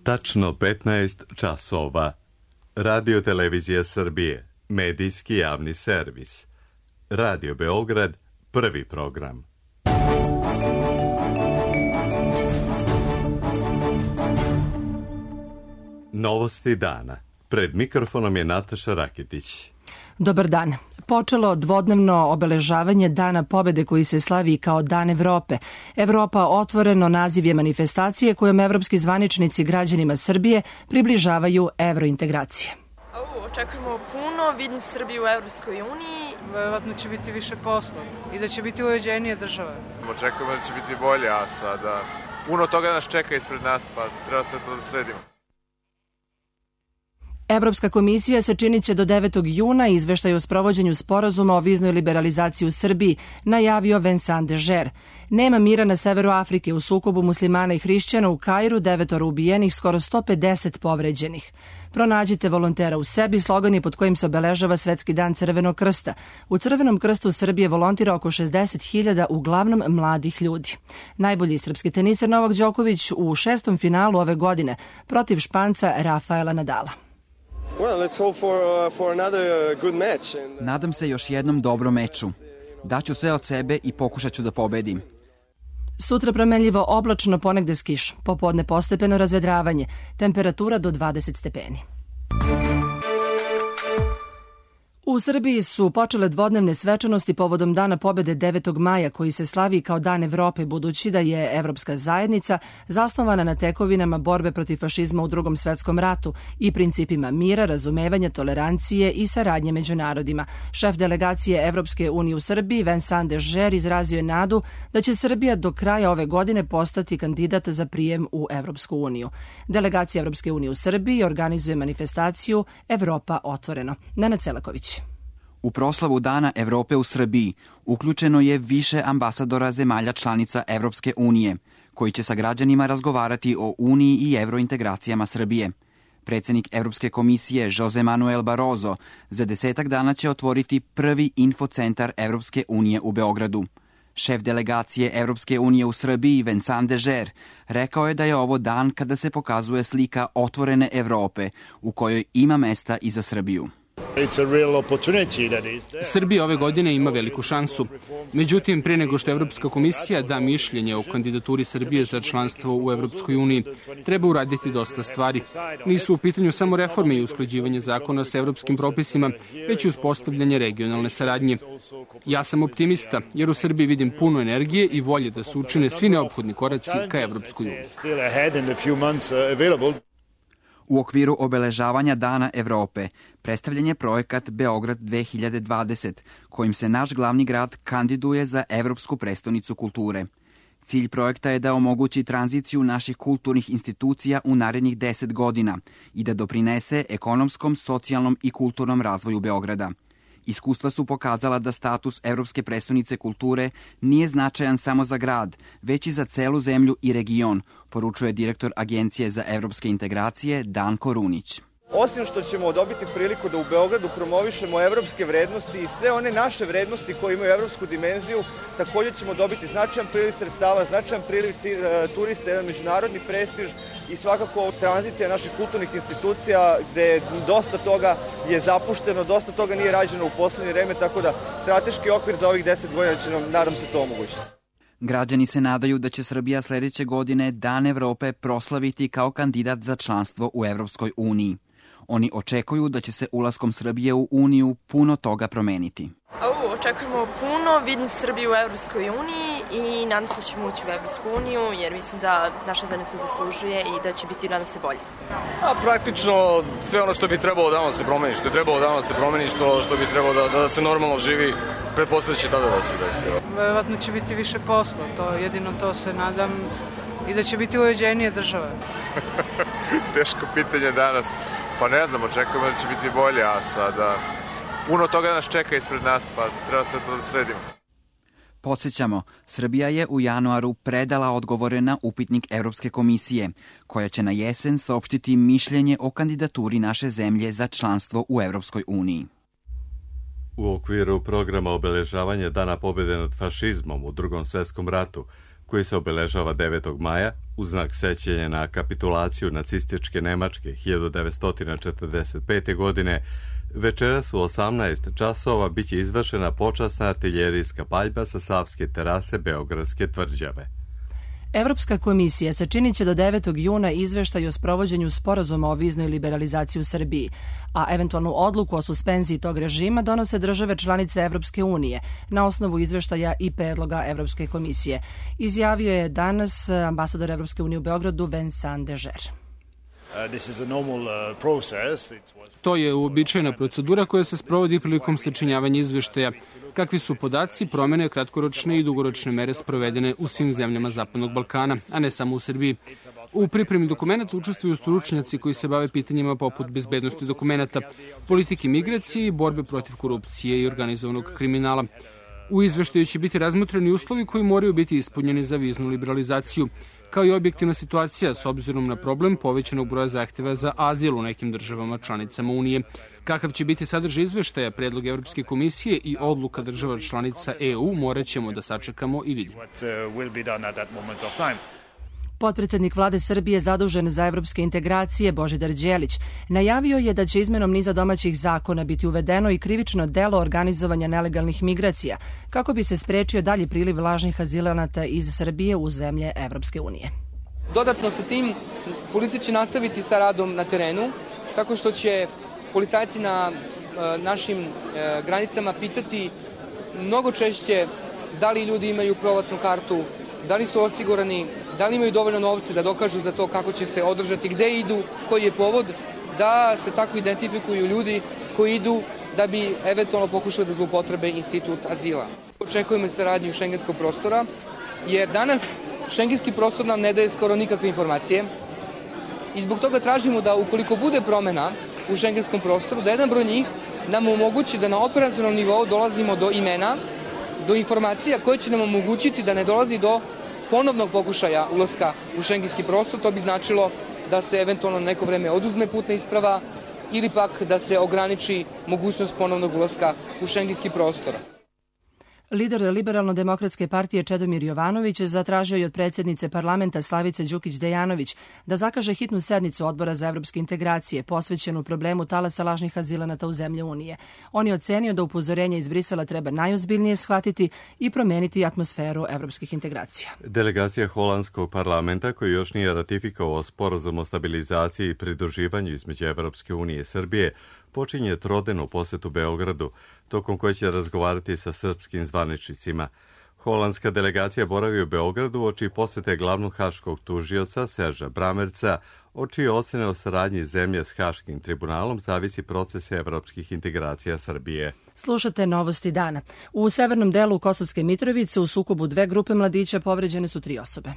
Tačno 15 časova. Radio Televizija Srbije, medijski javni servis. Radio Beograd, prvi program. Novosti dana. Pred mikrofonom je Nataša Raketić. Dobar dan. Počelo dvodnevno obeležavanje Dana pobede koji se slavi kao Dan Evrope. Evropa otvoreno naziv je manifestacije kojom evropski zvaničnici građanima Srbije približavaju evrointegracije. Očekujemo puno, vidim Srbiju u Evropskoj uniji. Verovatno će biti više posla i da će biti uređenije države. Očekujemo da će biti bolje, a sada puno toga nas čeka ispred nas, pa treba sve to da sredimo. Evropska komisija sačinit će do 9. juna izveštaj o sprovođenju sporazuma o viznoj liberalizaciji u Srbiji, najavio Vincent Dežer. Nema mira na severu Afrike, u sukobu muslimana i hrišćana u Kairu, 9 ubijenih, skoro 150 povređenih. Pronađite volontera u sebi, slogan je pod kojim se obeležava Svetski dan Crvenog krsta. U Crvenom krstu Srbije volontira oko 60.000, uglavnom mladih ljudi. Najbolji srpski teniser Novak Đoković u 6. finalu ove godine protiv Španca Rafaela Nadala. Nadam se još jednom dobrom meču. Daću sve od sebe i pokušat ću da pobedim. Sutra promenljivo oblačno, ponegde s kišom. Popodne postepeno razvedravanje. Temperatura do 20 stepeni. U Srbiji su počele dvodnevne svečanosti povodom Dana pobede 9. maja koji se slavi kao Dan Evrope, budući da je Evropska zajednica zasnovana na tekovinama borbe protiv fašizma u Drugom svetskom ratu i principima mira, razumevanja, tolerancije i saradnje među narodima. Šef delegacije Evropske unije u Srbiji, Vincent Dežer, izrazio je nadu da će Srbija do kraja ove godine postati kandidat za prijem u Evropsku uniju. Delegacija Evropske unije u Srbiji organizuje manifestaciju Evropa otvoreno. Nenad Selaković. U proslavu Dana Evrope u Srbiji uključeno je više ambasadora zemalja članica Evropske unije, koji će sa građanima razgovarati o Uniji i evrointegracijama Srbije. Predsjednik Evropske komisije Jose Manuel Barroso za 10 dana će otvoriti prvi infocentar Evropske unije u Beogradu. Šef delegacije Evropske unije u Srbiji Vincent Dežer rekao je da je ovo dan kada se pokazuje slika otvorene Evrope u kojoj ima mesta i za Srbiju. Srbija ove godine ima veliku šansu. Međutim, prije nego što Evropska komisija da mišljenje o kandidaturi Srbije za članstvo u Evropskoj uniji, treba uraditi dosta stvari. Nisu u pitanju samo reforme i usklađivanje zakona sa evropskim propisima, već i uspostavljanje regionalne saradnje. Ja sam optimista, jer u Srbiji vidim puno energije i volje da se učine svi neophodni koraci ka Evropskoj uniji. U okviru obeležavanja Dana Evrope predstavljen je projekat Beograd 2020, kojim se naš glavni grad kandiduje za Evropsku prestonicu kulture. Cilj projekta je da omogući tranziciju naših kulturnih institucija u narednih 10 godina i da doprinese ekonomskom, socijalnom i kulturnom razvoju Beograda. Iskustva su pokazala da status Evropske prestonice kulture nije značajan samo za grad, već i za celu zemlju i region, poručuje direktor Agencije za evropske integracije Danko Runić. Osim što ćemo dobiti priliku da u Beogradu promovišemo evropske vrednosti i sve one naše vrednosti koje imaju evropsku dimenziju, također ćemo dobiti značajan priliv sredstava, značajan priliv turista, jedan međunarodni prestiž i svakako tranzicija naših kulturnih institucija gde dosta toga je zapušteno, dosta toga nije rađeno u poslednje vreme, tako da strateški okvir za ovih 10 godina će nam, nadam se, to omogućiti. Građani se nadaju da će Srbija sledeće godine Dan Evrope proslaviti kao kandidat za članstvo u Evropskoj uniji. Oni očekuju da će se ulaskom Srbije u Uniju puno toga promeniti. Očekujemo puno, vidim Srbiju u Evropskoj uniji i nadam se da ćemo ući u Evropsku uniju jer mislim da naša zemlja to zaslužuje i da će biti, nadam se, bolje. Praktično sve ono što bi trebalo da se promeni, što je trebalo da se promeni, što bi trebalo da se normalno živi, pretpostavljam će tada da se desi. Verovatno će biti više posla, jedino to se nadam, i da će biti uređenije države. Teško pitanje danas. Pa ne znam, očekujemo da će biti bolje, a sada puno toga nas čeka ispred nas, pa treba sve to da sredimo. Podsjećamo, Srbija je u januaru predala odgovore na upitnik Evropske komisije, koja će na jesen saopštiti mišljenje o kandidaturi naše zemlje za članstvo u Evropskoj uniji. U okviru programa obeležavanja Dana pobjede nad fašizmom u Drugom svjetskom ratu, koji se obeležava 9. maja u znak sećanja na kapitulaciju nacističke Nemačke 1945. godine, večeras u 18 časova biće izvršena počasna artiljerijska paljba sa Savske terase Beogradske tvrđave. Evropska komisija sačinit će do 9. juna izveštaj o sprovođenju sporazuma o viznoj liberalizaciji u Srbiji, a eventualnu odluku o suspenziji tog režima donose države članice Evropske unije na osnovu izveštaja i predloga Evropske komisije. Izjavio je danas ambasador Evropske unije u Beogradu Vincent Deger. To je uobičajena procedura koja se sprovodi prilikom sačinjavanja izveštaja. Kakvi su podaci, promene, kratkoročne i dugoročne mere sprovedene u svim zemljama Zapadnog Balkana, a ne samo u Srbiji. U pripremi dokumenta učestvuju stručnjaci koji se bave pitanjima poput bezbednosti dokumenta, politike migracije i borbe protiv korupcije i organizovanog kriminala. U izveštaju će biti razmotreni uslovi koji moraju biti ispunjeni za viznu liberalizaciju, kao i objektivna situacija s obzirom na problem povećanog broja zahteva za azil u nekim državama članicama Unije. Kakav će biti sadržaj izveštaja, predlog Evropske komisije i odluka država članica EU morat ćemo da sačekamo i vidimo. Potpredsednik vlade Srbije zadužen za evropske integracije Božidar Đelić najavio je da će izmenom niza domaćih zakona biti uvedeno i krivično delo organizovanja nelegalnih migracija kako bi se sprečio dalji priliv lažnih azilanata iz Srbije u zemlje Evropske unije. Dodatno sa tim policija će nastaviti sa radom na terenu tako što će policajci na našim granicama pitati mnogo češće da li ljudi imaju provatnu kartu, da li su osigurani, da li imaju dovoljno novca da dokažu za to kako će se održati, gde idu, koji je povod, da se tako identifikuju ljudi koji idu da bi eventualno pokušali da zloupotrebe institut azila. Očekujemo saradnju šengenskog prostora, jer danas šengenski prostor nam ne daje skoro nikakve informacije i zbog toga tražimo da ukoliko bude promena u šengenskom prostoru, da jedan broj njih nam omogući da na operativnom nivou dolazimo do imena, do informacija koje će nam omogućiti da ne dolazi do ponovnog pokušaja ulaska u šengenski prostor. To bi značilo da se eventualno neko vreme oduzme putna isprava ili pak da se ograniči mogućnost ponovnog ulaska u šengenski prostor. Lider Liberalno-demokratske partije Čedomir Jovanović zatražio je od predsjednice parlamenta Slavice Đukić-Dejanović da zakaže hitnu sednicu Odbora za evropske integracije posvećenu problemu talasa lažnih azilanata u zemlje Unije. On je ocenio da upozorenje iz Brisela treba najozbiljnije shvatiti i promeniti atmosferu evropskih integracija. Delegacija holandskog parlamenta, koji još nije ratifikovao sporazum o stabilizaciji i pridruživanju između Evropske unije i Srbije, počinje trodnevnu posetu Beogradu, tokom koje će razgovarati sa srpskim zvaničnicima. Holandska delegacija boravi u Beogradu uoči posete glavnog haškog tužioca Serža Bramerca, od čije ocene o saradnji zemlje s Haškim tribunalom zavisi proces evropskih integracija Srbije. Slušate novosti dana. U severnom delu Kosovske Mitrovice u sukobu dve grupe mladića povređene su 3 osobe.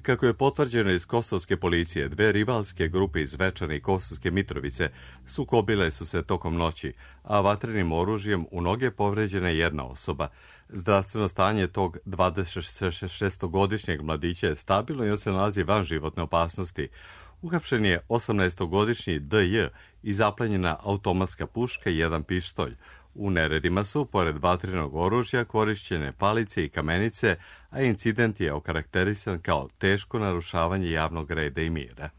Kako je potvrđeno iz kosovske policije, 2 rivalske grupe iz Zvečana i Kosovske Mitrovice sukobile su se tokom noći, a vatrenim oružjem u noge povređena je 1 osoba. Zdravstveno stanje tog 26-godišnjeg mladića je stabilno i on se nalazi van životne opasnosti. Uhapšen je 18-godišnji DJ i zaplenjena automatska puška i 1 pištolj. U neredima su, pored vatrenog oružja, korišćene palice i kamenice, a incident je okarakterisan kao teško narušavanje javnog reda i mira.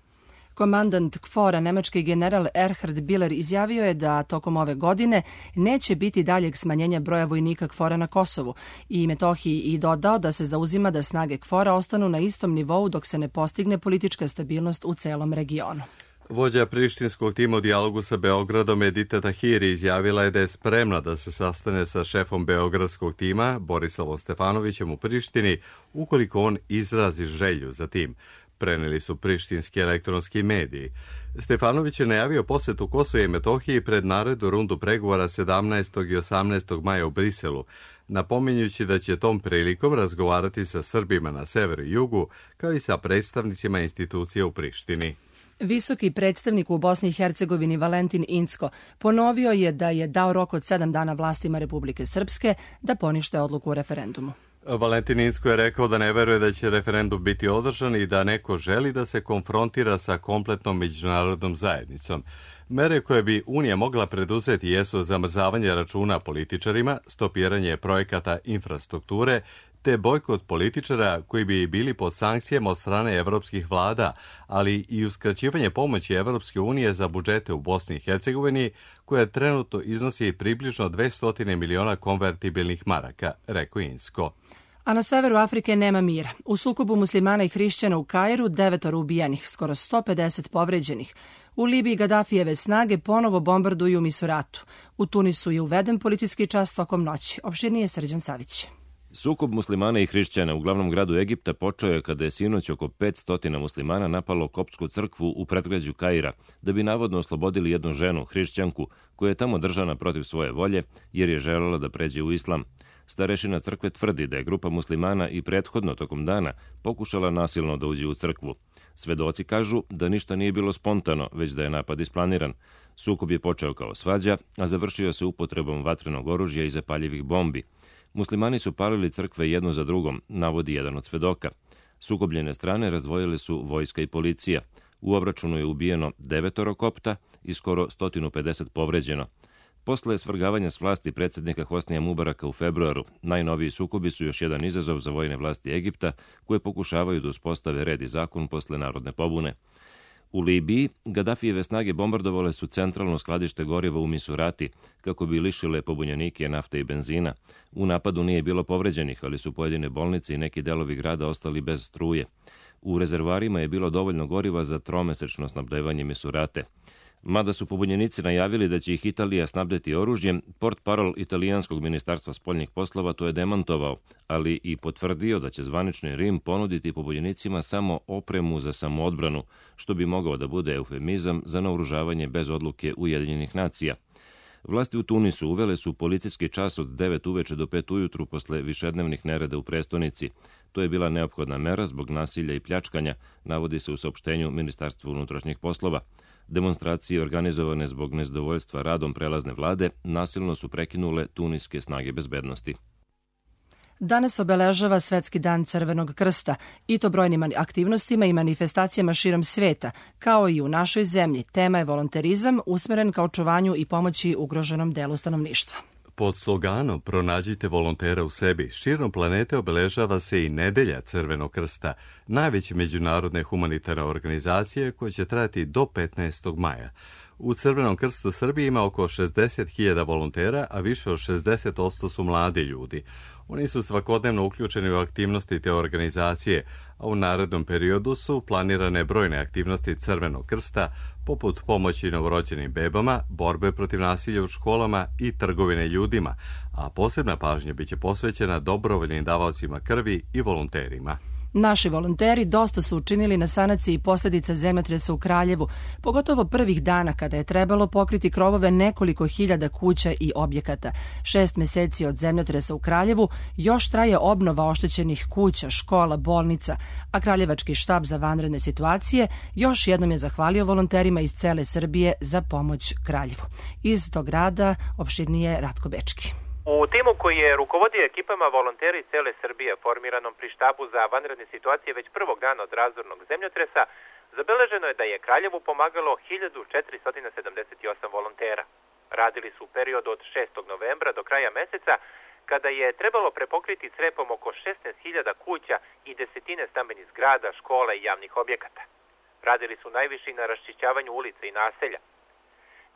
Komandant KFOR-a, nemački general Erhard Biller, izjavio je da tokom ove godine neće biti daljeg smanjenja broja vojnika KFOR-a na Kosovu i Metohiji i dodao da se zauzima da snage KFOR-a ostanu na istom nivou dok se ne postigne politička stabilnost u celom regionu. Vođa prištinskog tima u dijalogu sa Beogradom Edita Tahiri izjavila je da je spremna da se sastane sa šefom beogradskog tima Borislavom Stefanovićem u Prištini ukoliko on izrazi želju za tim, preneli su prištinski elektronski mediji. Stefanović je najavio posetu Kosova i Metohiji pred narednu rundu pregovora 17. i 18. maja u Briselu, napominjući da će tom prilikom razgovarati sa Srbima na severu i jugu, kao i sa predstavnicima institucija u Prištini. Visoki predstavnik u Bosni i Hercegovini Valentin Incko ponovio je da je dao rok od 7 dana vlastima Republike Srpske da ponište odluku o referendumu. Valentin Incko je rekao da ne veruje da će referendum biti održan i da neko želi da se konfrontira sa kompletnom međunarodnom zajednicom. Mere koje bi Unija mogla preduzeti jesu zamrzavanje računa političarima, stopiranje projekata infrastrukture, te bojkot političara koji bi bili pod sankcijama od strane evropskih vlada, ali i uskraćivanje pomoći Evropske unije za budžete u Bosni i Hercegovini, koja trenutno iznosi približno 200 miliona konvertibilnih maraka, rekao Insko. A na severu Afrike nema mira. U sukobu muslimana i hrišćana u Kairu 9 ubijenih, skoro 150 povređenih. U Libiji Gaddafijeve snage ponovo bombarduju Misuratu. U Tunisu je uveden policijski čas tokom noći. Opširnije Srđan Savić. Sukob muslimana i hrišćana u glavnom gradu Egipta počeo je kada je sinoć oko 500 muslimana napalo koptsku crkvu u predgrađu Kaira, da bi navodno oslobodili jednu ženu, hrišćanku, koja je tamo držana protiv svoje volje, jer je želela da pređe u islam. Starešina crkve tvrdi da je grupa muslimana i prethodno tokom dana pokušala nasilno da uđe u crkvu. Svedoci kažu da ništa nije bilo spontano, već da je napad isplaniran. Sukob je počeo kao svađa, a završio se upotrebom vatrenog oružja i zapaljivih bombi. Muslimani su palili crkve jednu za drugom, navodi jedan od svedoka. Sukobljene strane razdvojile su vojska i policija. U obračunu je ubijeno 9 kopta i skoro 150 povređeno. Posle svrgavanja s vlasti predsjednika Hosnija Mubaraka u februaru, najnoviji sukobi su još jedan izazov za vojne vlasti Egipta, koje pokušavaju da uspostave red i zakon posle narodne pobune. U Libiji, Gaddafijeve snage bombardovale su centralno skladište goriva u Misurati, kako bi lišile pobunjenike nafte i benzina. U napadu nije bilo povređenih, ali su pojedine bolnice i neki delovi grada ostali bez struje. U rezervoarima je bilo dovoljno goriva za 3-mesečno snabdevanje Misurate. Mada su pobunjenici najavili da će ih Italija snabdeti oružjem, portparol italijanskog ministarstva spoljnih poslova to je demantovao, ali i potvrdio da će zvanični Rim ponuditi pobunjenicima samo opremu za samoodbranu, što bi mogao da bude eufemizam za naoružavanje bez odluke Ujedinjenih nacija. Vlasti u Tunisu uvele su policijski čas od 9 uveče do 5 ujutru posle višednevnih nereda u prestonici. To je bila neophodna mera zbog nasilja i pljačkanja, navodi se u saopštenju Ministarstva unutrašnjih poslova. Demonstracije organizovane zbog nezadovoljstva radom prelazne vlade nasilno su prekinule tuniske snage bezbednosti. Danas obeležava Svetski dan Crvenog krsta i to brojnim aktivnostima i manifestacijama širom sveta, kao i u našoj zemlji. Tema je volonterizam usmeren ka očuvanju i pomoći ugroženom delu stanovništva. Pod sloganom Pronađite volontera u sebi, širom planete obeležava se i Nedelja Crvenog krsta, najveće međunarodne humanitarne organizacije koja će trajati do 15. maja. U Crvenom krstu Srbije ima oko 60.000 volontera, a više od 60% su mladi ljudi. Oni su svakodnevno uključeni u aktivnosti te organizacije, a u narednom periodu su planirane brojne aktivnosti Crvenog krsta, poput pomoći novorođenim bebama, borbe protiv nasilja u školama i trgovine ljudima, a posebna pažnja biće posvećena dobrovoljnim davaocima krvi i volonterima. Naši volonteri dosta su učinili na sanaciji posljedica zemljotresa u Kraljevu, pogotovo prvih dana kada je trebalo pokriti krovove nekoliko hiljada kuća i objekata. 6 meseci od zemljotresa u Kraljevu još traje obnova oštećenih kuća, škola, bolnica, a Kraljevački štab za vanredne situacije još jednom je zahvalio volonterima iz cele Srbije za pomoć Kraljevu. Iz tog rada opširnije Ratko Bečki. U timu koji je rukovodio ekipama volonteri cele Srbije formiranom pri štabu za vanredne situacije već prvog dana od razornog zemljotresa, zabeleženo je da je Kraljevu pomagalo 1478 volontera. Radili su u periodu od 6. novembra do kraja meseca, kada je trebalo prepokriti crepom oko 16.000 kuća i desetine stambenih zgrada, škola i javnih objekata. Radili su najviše na raščišćavanju ulica i naselja.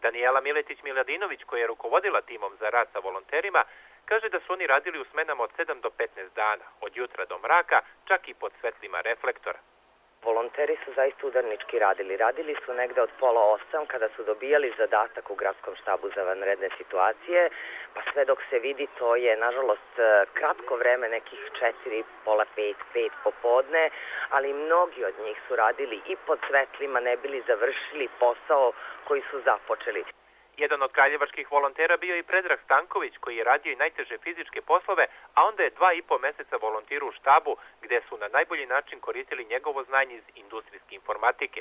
Daniela Miletić-Miladinović, koja je rukovodila timom za rad sa volonterima, kaže da su oni radili u smenama od 7 do 15 dana, od jutra do mraka, čak i pod svetlima reflektora. Volonteri su zaista udarnički radili. Radili su negde od 7:30 kada su dobijali zadatak u gradskom štabu za vanredne situacije, pa sve dok se vidi to je nažalost kratko vreme, nekih 4, pola 5, 5 popodne, ali mnogi od njih su radili i pod svetlima ne bili završili posao koji su započeli. Jedan od kraljevačkih volontera bio i Predrag Stanković, koji je radio i najteže fizičke poslove, a onda je 2,5 meseca volontirao u štabu, gde su na najbolji način koristili njegovo znanje iz industrijske informatike.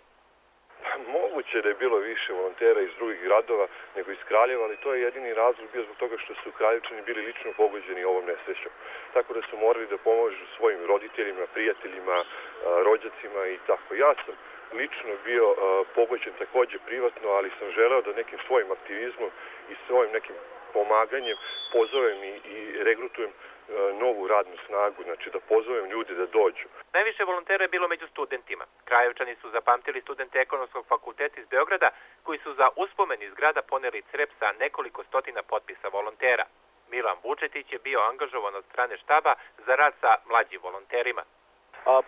Moguće da je bilo više volontera iz drugih gradova nego iz Kraljeva, ali to je jedini razlog bio zbog toga što su Kraljevčani bili lično pogođeni ovom nesrećom. Tako da su morali da pomožu svojim roditeljima, prijateljima, rođacima i tako. Ja sam lično bio pogođen takođe privatno, ali sam želeo da nekim svojim aktivizmom i svojim nekim pomaganjem pozovem i regrutujem novu radnu snagu, znači da pozovem ljudi da dođu. Najviše volontera je bilo među studentima. Krajevčani su zapamtili studente Ekonomskog fakulteta iz Beograda, koji su za uspomen iz grada poneli crep sa nekoliko stotina potpisa volontera. Milan Vučetić je bio angažovan od strane štaba za rad sa mlađim volonterima.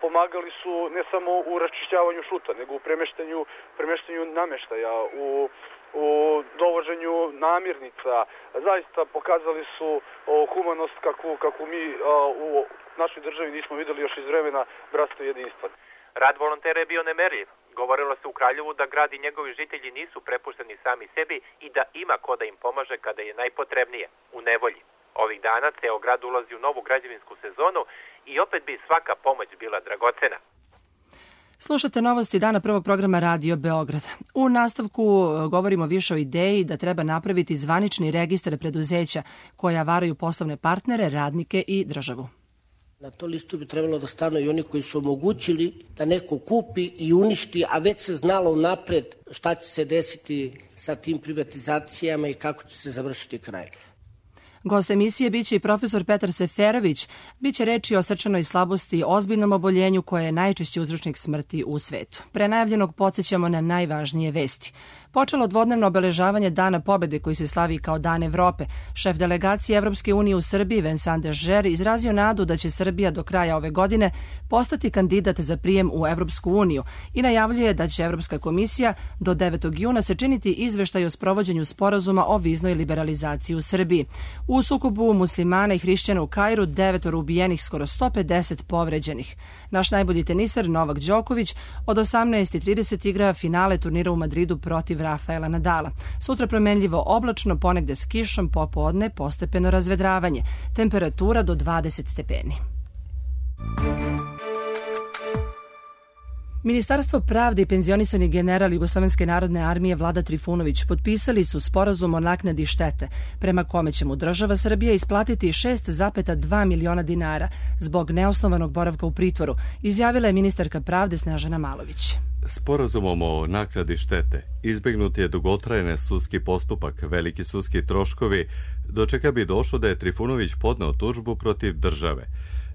Pomagali su ne samo u raščišćavanju šuta, nego u premeštanju nameštaja, u dovoženju namirnica. Zaista pokazali su humanost kakvu mi u našoj državi nismo videli još iz vremena bratstva i jedinstva. Rad volontera je bio nemerljiv. Govorilo se u Kraljevu da grad i njegovi žitelji nisu prepušteni sami sebi i da ima ko da im pomaže kada je najpotrebnije, u nevolji. Ovih dana ceo grad ulazi u novu građevinsku sezonu i opet bi svaka pomoć bila dragocena. Slušate novosti dana prvog programa Radio Beograd. U nastavku govorimo više o ideji da treba napraviti zvanični registar preduzeća koja varaju poslovne partnere, radnike i državu. Na to listu bi trebalo da stanu i oni koji su omogućili da neko kupi i uništi, a već se znalo unapred šta će se desiti sa tim privatizacijama i kako će se završiti kraj. Gost emisije biće i profesor Petar Seferović. Biće reči o srčanoj slabosti, ozbiljnom oboljenju koje je najčešći uzročnik smrti u svetu. Pre najavljenog podsjećamo na najvažnije vesti. Počelo dvodnevno obeležavanje Dana pobede koji se slavi kao Dan Evrope. Šef delegacije Evropske unije u Srbiji, Vincent Dežer, izrazio nadu da će Srbija do kraja ove godine postati kandidat za prijem u Evropsku uniju i najavljuje da će Evropska komisija do 9. juna sačiniti izveštaj o sprovođenju sporazuma o viznoj liberalizaciji u Srbiji. U sukobu muslimana i hrišćana u Kairu 9 ubijenih, skoro 150 povređenih. Naš najbolji tenisar Novak Đoković od 18:30 igra finale turnira u Madridu protiv Rafaela Nadala. Sutra promenljivo oblačno, ponegde s kišom, popodne postepeno razvedravanje. Temperatura do 20 stepeni. Ministarstvo pravde i penzionisani general Jugoslovenske narodne armije Vlada Trifunović potpisali su sporazum o naknadi štete, prema kome će mu država Srbija isplatiti 6,2 miliona dinara zbog neosnovanog boravka u pritvoru, izjavila je ministarka pravde Snežana Malović. Sporazumom o naknadi štete izbegnut je dugotrajni sudski postupak, veliki sudski troškovi, do čega bi došlo da je Trifunović podneo tužbu protiv države.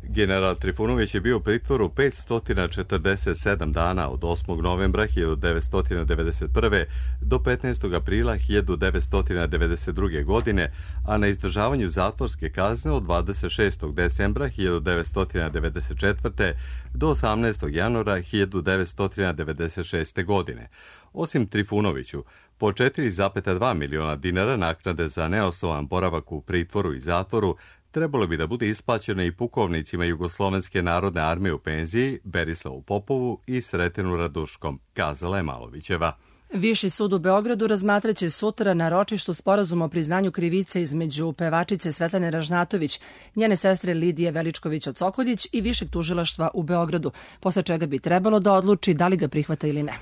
General Trifunović je bio u pritvoru 547 dana od 8. novembra 1991. do 15. aprila 1992. godine, a na izdržavanju zatvorske kazne od 26. decembra 1994. do 18. januara 1996. godine. Osim Trifunoviću, po 4,2 miliona dinara naknade za neosnovan boravak u pritvoru i zatvoru trebalo bi da bude isplaćeno i pukovnicima Jugoslovenske narodne armije u penziji Berislavu Popovu i Sretenu Raduškom, kazala je Malovićeva. Viši sud u Beogradu razmatraće sutra na ročištu sporazum o priznanju krivice između pevačice Svetlane Ražnatović, njene sestre Lidije Veličković-Osokoljić i Višeg tužilaštva u Beogradu, posle čega bi trebalo da odluči da li ga prihvata ili ne.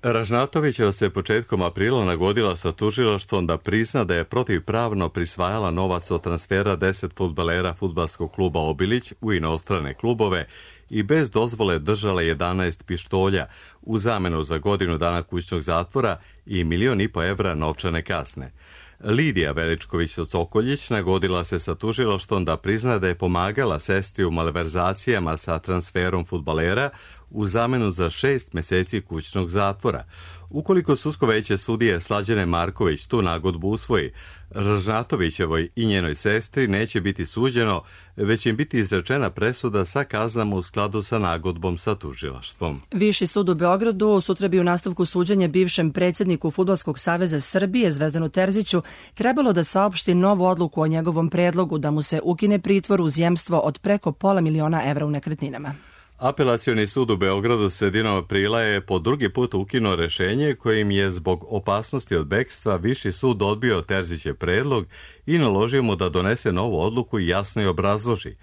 Ražnatovićeva se početkom aprila nagodila sa tužilaštvom da prizna da je protivpravno prisvajala novac od transfera 10 fudbalera fudbalskog kluba Obilić u inostrane klubove i bez dozvole držala 11 pištolja u zamenu za godinu dana kućnog zatvora i 1,5 miliona evra novčane kazne. Lidija Veličković-Osokoljić nagodila se sa tužilaštvom da prizna da je pomagala sestri u malverzacijama sa transferom fudbalera u zamenu za 6 meseci kućnog zatvora. Ukoliko sudsko veće sudije Slađane Marković tu nagodbu usvoji, Ražnatovićevoj i njenoj sestri neće biti suđeno, već im biti izrečena presuda sa kaznama u skladu sa nagodbom sa tužilaštvom. Viši sud u Beogradu sutra bi u nastavku suđenja bivšem predsjedniku Fudbalskog saveza Srbije Zvezdanu Terziću trebalo da saopšti novu odluku o njegovom predlogu da mu se ukine pritvor uz jemstvo od preko $500 miliona u nekretninama. Apelacioni sud u Beogradu sredinom aprila je po drugi put ukinuo rešenje kojim je zbog opasnosti od bekstva Viši sud odbio Terzićev predlog i naložio mu da donese novu odluku i jasno je obrazloži.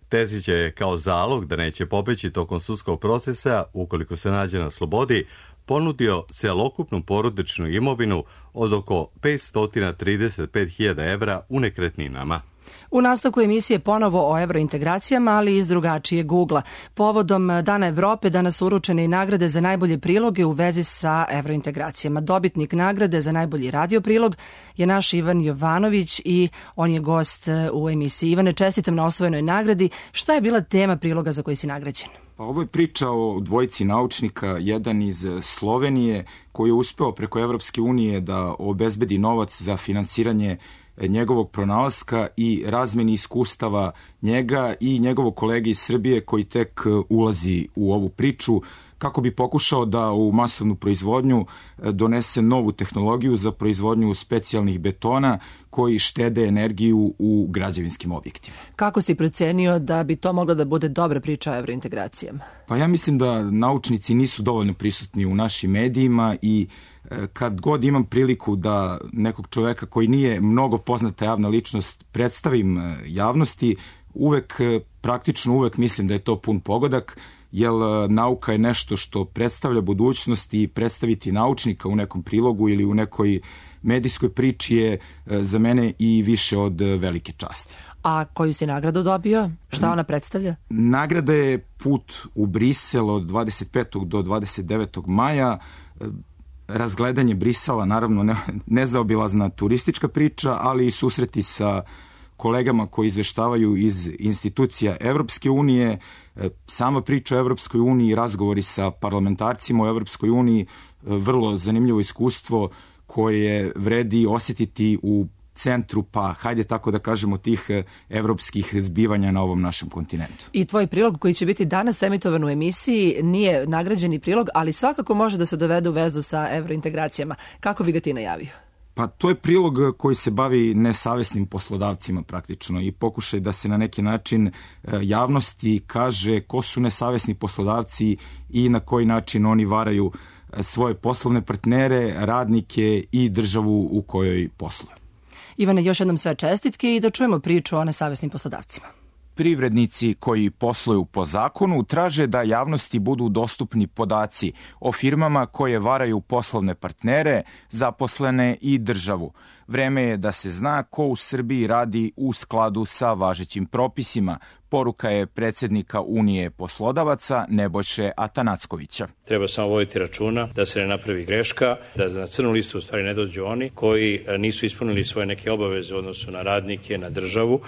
Terzić je kao zalog da neće pobeći tokom sudskog procesa, ukoliko se nađe na slobodi, ponudio celokupnu porodičnu imovinu od oko 535.000 evra u nekretninama. U nastavku emisije ponovo o evrointegracijama, ali iz drugačijeg ugla. Povodom Dana Evrope danas su uručene i nagrade za najbolje priloge u vezi sa evrointegracijama. Dobitnik nagrade za najbolji radio prilog je naš Ivan Jovanović i on je gost u emisiji. Ivane, čestitam na osvojenoj nagradi. Šta je bila tema priloga za koji si nagrađen? Pa ovo je priča o dvojici naučnika, jedan iz Slovenije koji je uspeo preko Evropske unije da obezbedi novac za finansiranje njegovog pronalaska i razmeni iskustava njega i njegovog kolege iz Srbije koji tek ulazi u ovu priču kako bi pokušao da u masovnu proizvodnju donese novu tehnologiju za proizvodnju specijalnih betona koji štede energiju u građevinskim objektima. Kako si procenio da bi to moglo da bude dobra priča o evrointegracijama? Pa ja mislim da naučnici nisu dovoljno prisutni u našim medijima i kad god imam priliku da nekog čoveka koji nije mnogo poznata javna ličnost predstavim javnosti, praktično uvek mislim da je to pun pogodak, jer nauka je nešto što predstavlja budućnost i predstaviti naučnika u nekom prilogu ili u nekoj medijskoj priči je za mene i više od velike časti. A koju si nagradu dobio? Šta ona predstavlja? Nagrada je put u Brisel od 25. do 29. maja. Razgledanje Brisela, naravno nezaobilazna turistička priča, ali i susreti sa kolegama koji izveštavaju iz institucija Evropske unije, sama priča o Evropskoj uniji, razgovori sa parlamentarcima o Evropskoj uniji, vrlo zanimljivo iskustvo koje vredi osjetiti u centru, pa hajde tako da kažemo, tih evropskih zbivanja na ovom našem kontinentu. I tvoj prilog koji će biti danas emitovan u emisiji nije nagrađeni prilog, ali svakako može da se dovede u vezu sa evrointegracijama. Kako bi ga ti najavio? Pa to je prilog koji se bavi nesavesnim poslodavcima praktično i pokušaj da se na neki način javnosti kaže ko su nesavesni poslodavci i na koji način oni varaju svoje poslovne partnere, radnike i državu u kojoj posluju. Ivane, još jednom sve čestitke i da čujemo priču o nesavesnim poslodavcima. Privrednici koji posluju po zakonu traže da javnosti budu dostupni podaci o firmama koje varaju poslovne partnere, zaposlene i državu. Vreme je da se zna ko u Srbiji radi u skladu sa važećim propisima, poruka je predsjednika Unije poslodavaca Nebojše Atanackovića. Treba samo voditi računa da se ne napravi greška, da na crnu listu u stvari ne dođu oni koji nisu ispunili svoje neke obaveze u odnosu na radnike, na državu,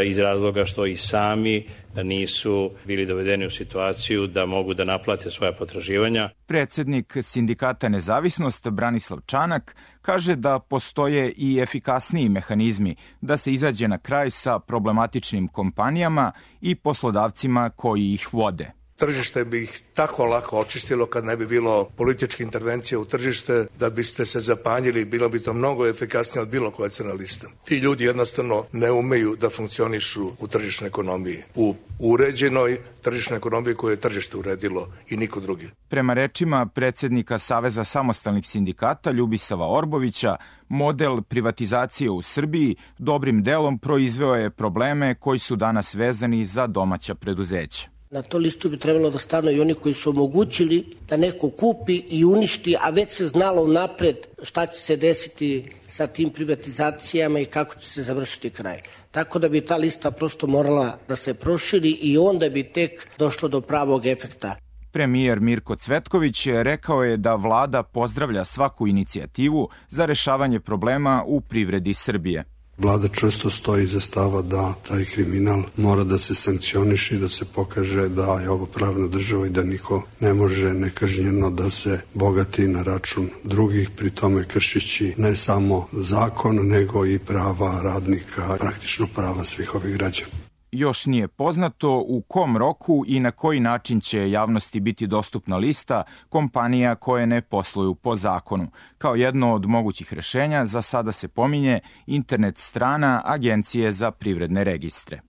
iz razloga što i sami nisu bili dovedeni u situaciju da mogu da naplate svoja potraživanja. Predsjednik sindikata Nezavisnost Branislav Čanak kaže da postoje i efikasniji mehanizmi da se izađe na kraj sa problematičnim kompanijama i poslodavcima koji ih vode. Tržište bi ih tako lako očistilo kad ne bi bilo političke intervencije u tržište, da biste se zapanjili, bilo bi to mnogo efikasnije od bilo koje crne liste. Ti ljudi jednostavno ne umeju da funkcionišu u tržišnoj ekonomiji, u uređenoj tržišnoj ekonomiji koju je tržište uredilo i niko drugi. Prema rečima predsjednika Saveza samostalnih sindikata Ljubisava Orbovića, model privatizacije u Srbiji dobrim delom proizveo je probleme koji su danas vezani za domaća preduzeća. Na to listu bi trebalo da stanu i oni koji su omogućili da neko kupi i uništi, a već se znalo unapred šta će se desiti sa tim privatizacijama i kako će se završiti kraj. Tako da bi ta lista prosto morala da se proširi i onda bi tek došlo do pravog efekta. Premijer Mirko Cvetković rekao je da vlada pozdravlja svaku inicijativu za rešavanje problema u privredi Srbije. Vlada čvrsto stoji iza stava da taj kriminal mora da se sankcioniše i da se pokaže da je ovo pravna država i da niko ne može nekažnjeno da se bogati na račun drugih, pri tome kršići ne samo zakon, nego i prava radnika, praktično prava svih ovih građana. Još nije poznato u kom roku i na koji način će javnosti biti dostupna lista kompanija koje ne posluju po zakonu. Kao jedno od mogućih rešenja za sada se pominje internet strana Agencije za privredne registre.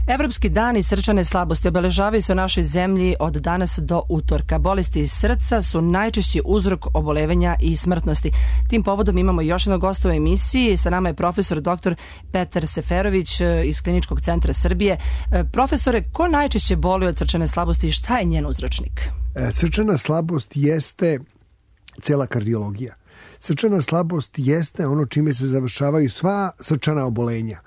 Evropski dani srčane slabosti obeležavaju se u našoj zemlji od danas do utorka. Bolesti srca su najčešći uzrok obolevanja i smrtnosti. Tim povodom imamo još jednog gosta u emisiji. Sa nama je profesor dr. Petar Seferović iz Kliničkog centra Srbije. Profesore, ko najčešće boli od srčane slabosti i šta je njen uzročnik? Srčana slabost jeste cela kardiologija. Srčana slabost jeste ono čime se završavaju sva srčana obolenja.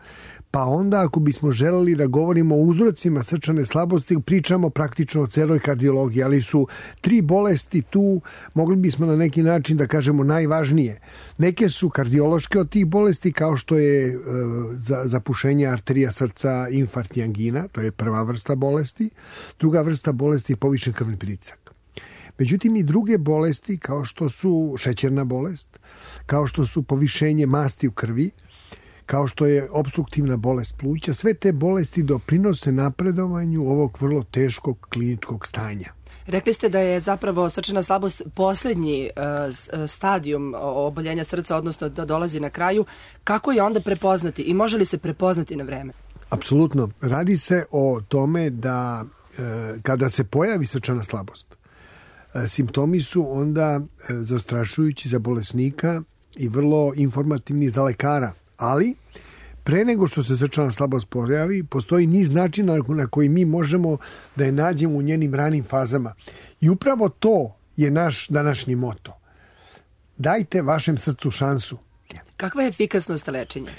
Pa onda ako bismo želeli da govorimo o uzrocima srčane slabosti, pričamo praktično o celoj kardiologiji, ali su 3 bolesti tu, mogli bismo na neki način da kažemo najvažnije. Neke su kardiološke od tih bolesti, kao što je zapušenje arterija srca, infarkt i angina, to je prva vrsta bolesti. Druga vrsta bolesti je povišen krvni pritisak. Međutim, i druge bolesti, kao što su šećerna bolest, kao što su povišenje masti u krvi, kao što je opstruktivna bolest pluća, sve te bolesti doprinose napredovanju ovog vrlo teškog kliničkog stanja. Rekli ste da je zapravo srčana slabost posljednji stadijum oboljenja srca, odnosno da dolazi na kraju. Kako je onda prepoznati i može li se prepoznati na vreme? Apsolutno. Radi se o tome da kada se pojavi srčana slabost, simptomi su onda zastrašujući za bolesnika i vrlo informativni za lekara. Ali, pre nego što se srčana slabost pojavi, postoji niz načina na koji mi možemo da je nađemo u njenim ranim fazama. I upravo to je naš današnji moto. Dajte vašem srcu šansu. Kakva je efikasnost lečenja?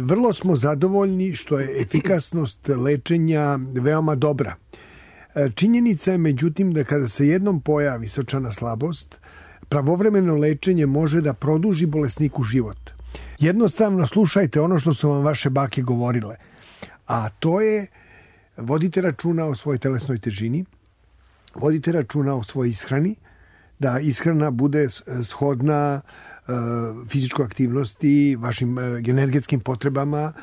Vrlo smo zadovoljni što je efikasnost lečenja veoma dobra. Činjenica je, međutim, da kada se jednom pojavi srčana slabost, pravovremeno lečenje može da produži bolesniku život. Jednostavno slušajte ono što su vam vaše bake govorile, a to je vodite računa o svojoj telesnoj težini, vodite računa o svojoj ishrani, da ishrana bude shodna fizičkoj aktivnosti, vašim energetskim potrebama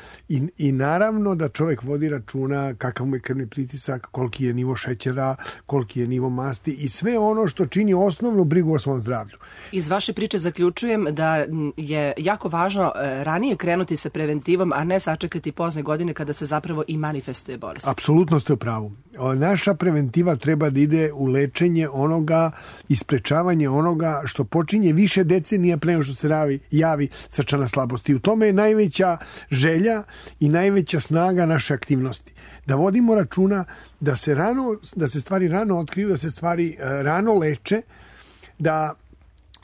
i naravno da čovjek vodi računa kakav mu je krvni pritisak, koliki je nivo šećera, koliki je nivo masti i sve ono što čini osnovnu brigu o svom zdravlju. Iz vaše priče zaključujem da je jako važno ranije krenuti sa preventivom, a ne sačekati pozne godine kada se zapravo i manifestuje bolest. Apsolutno ste u pravu. Naša preventiva treba da ide u lečenje onoga i sprečavanje onoga što počinje više decenija pre nego što se javi srčana slabost. I u tome je najveća želja i najveća snaga naše aktivnosti. Da vodimo računa da se stvari rano otkriju, da se stvari rano leče, da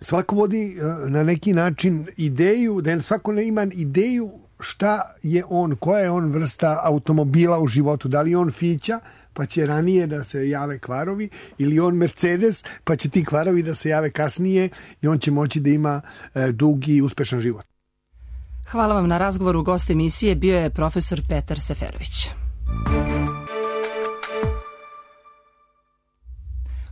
svako vodi na neki način ideju, da svako ima ideju šta je on, koja je on vrsta automobila u životu, da li je on Fića, pa će ranije da se jave kvarovi, ili on Mercedes, pa će ti kvarovi da se jave kasnije i on će moći da ima dugi i uspešan život. Hvala vam na razgovoru. Gost emisije bio je profesor Petar Seferović.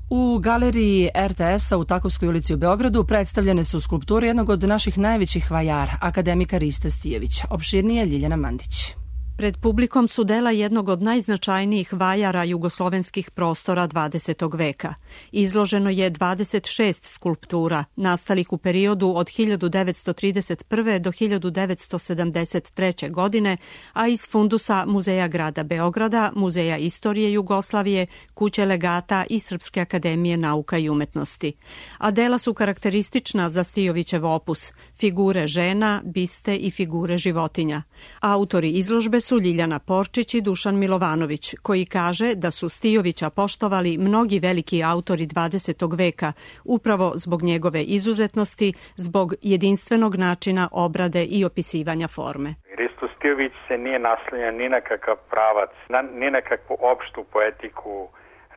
U galeriji RTS-a u Takovskoj ulici u Beogradu predstavljene su skulpture jednog od naših najvećih vajara, akademika Rista Stijevića. Opširnije Ljiljana Mandić. Pred publikom su dela jednog od najznačajnijih vajara jugoslovenskih prostora 20. veka. Izloženo je 26 skulptura, nastalih u periodu od 1931. do 1973. godine, a iz fundusa Muzeja grada Beograda, Muzeja istorije Jugoslavije, Kuće legata i Srpske akademije nauka i umetnosti. A dela su karakteristična za Stijovićev opus, figure žena, biste i figure životinja. Autori izložbe su Ljiljana Porčić i Dušan Milovanović, koji kaže da su Stijovića poštovali mnogi veliki autori 20. veka, upravo zbog njegove izuzetnosti, zbog jedinstvenog načina obrade i opisivanja forme. Risto Stijović se nije naslanjao ni na kakav pravac, ni na kakvu opštu poetiku,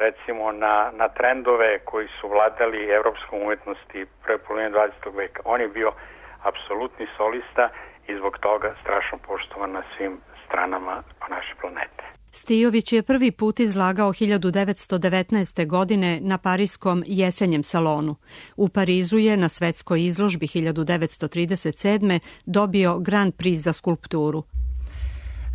recimo na trendove koji su vladali evropskom umetnosti prve polovine 20. veka. On je bio apsolutni solista i zbog toga strašno poštovan na svim stranama naše planete. Stijović je prvi put izlagao 1919. godine na pariskom jesenjem salonu. U Parizu je na svetskoj izložbi 1937. dobio Grand Prix za skulpturu.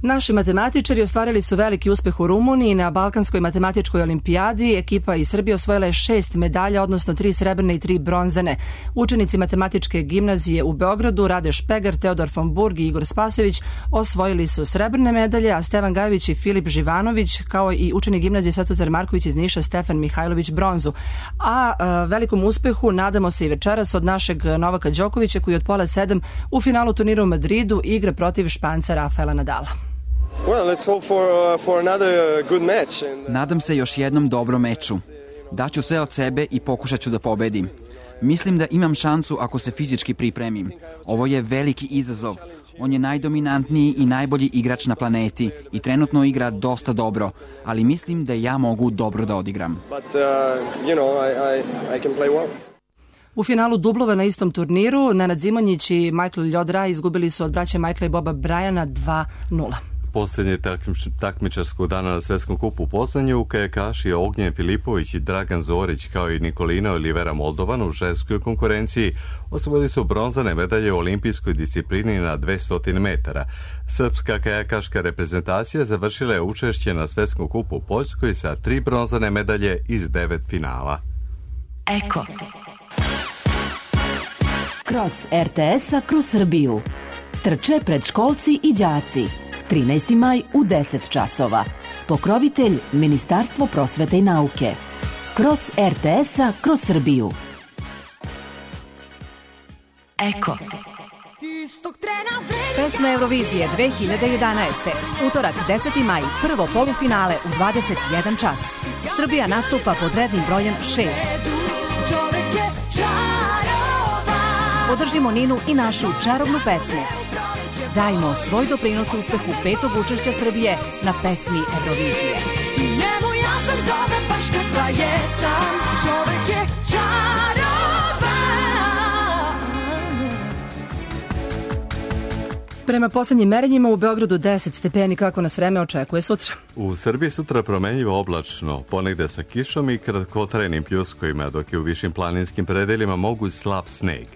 Naši matematičari ostvarili su veliki uspeh u Rumuniji na Balkanskoj matematičkoj olimpijadi. Ekipa iz Srbije osvojila je 6 medalja, odnosno 3 srebrne i 3 bronzane. Učenici matematičke gimnazije u Beogradu, Rade Špegar, Teodor von Burg i Igor Spasojević osvojili su srebrne medalje, a Stevan Gajović i Filip Živanović, kao i učenik gimnazije Svetozar Marković iz Niša, Stefan Mihajlović, bronzu. A velikom uspehu nadamo se i večeras od našeg Novaka Đokovića, koji od 6:30 u finalu turnira u Madridu igra protiv Španca Rafaela Nadala. Nadam se još jednom dobrom meču. Daću sve od sebe i pokušat ću da pobedim. Mislim da imam šansu ako se fizički pripremim. Ovo je veliki izazov. On je najdominantniji i najbolji igrač na planeti i trenutno igra dosta dobro, ali mislim da ja mogu dobro da odigram. U finalu dublova na istom turniru, Nenad Zimonjić i Michael Ljodra izgubili su od braće Michaela i Boba Bryana 2-0. Posljednje takmičarskog dana na Svetskom kupu u Poznanju, kajakaši Ognjen Filipović i Dragan Zorić kao i Nikolina Olivera Moldovan u ženskoj konkurenciji osvojili su bronzane medalje u olimpijskoj disciplini na 200 metara. Srpska kajakaška reprezentacija završila je učešće na Svetskom kupu u Poljskoj sa 3 bronzane medalje iz 9 finala. Eko. Kroz RTS-a kroz Srbiju. Trče predškolci i đaci. 13. maj u 10 časova. Pokrovitelj Ministarstvo prosvete i nauke. Kroz RTS-a kroz Srbiju. Eko. Pesma Eurovizije 2011. Utorak 10. maj, prvo polufinale u 21 čas. Srbija nastupa pod rednim brojem 6. Podržimo Ninu i našu čarobnu pesmu. Dajmo svoj doprinos uspehu 5. učešća Srbije na pesmi Eurovizije. Njemu ja sam dobra baš kakva jesam, čovek je čaroban. Prema poslednjim merenjima u Beogradu 10 stepeni, kako nas vreme očekuje sutra. U Srbiji sutra promenljivo oblačno, ponegde sa kišom i kratkotrajnim pljuskovima, dok je u višim planinskim predelima moguć slab sneg.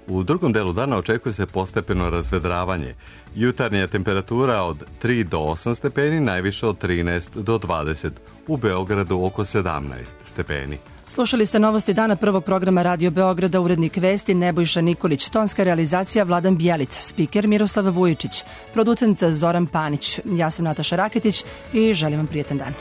U drugom delu dana očekuje se postepeno razvedravanje. Jutarnja temperatura od 3 do 8 stepeni, najviše od 13 do 20. U Beogradu oko 17 stepeni. Slušali ste novosti dana prvog programa Radio Beograda, urednik vesti Nebojša Nikolić, tonska realizacija Vladan Bjelica, spiker Miroslav Vujičić, producent Zoran Panić. Ja sam Nataša Raketić i želim vam prijetan dan.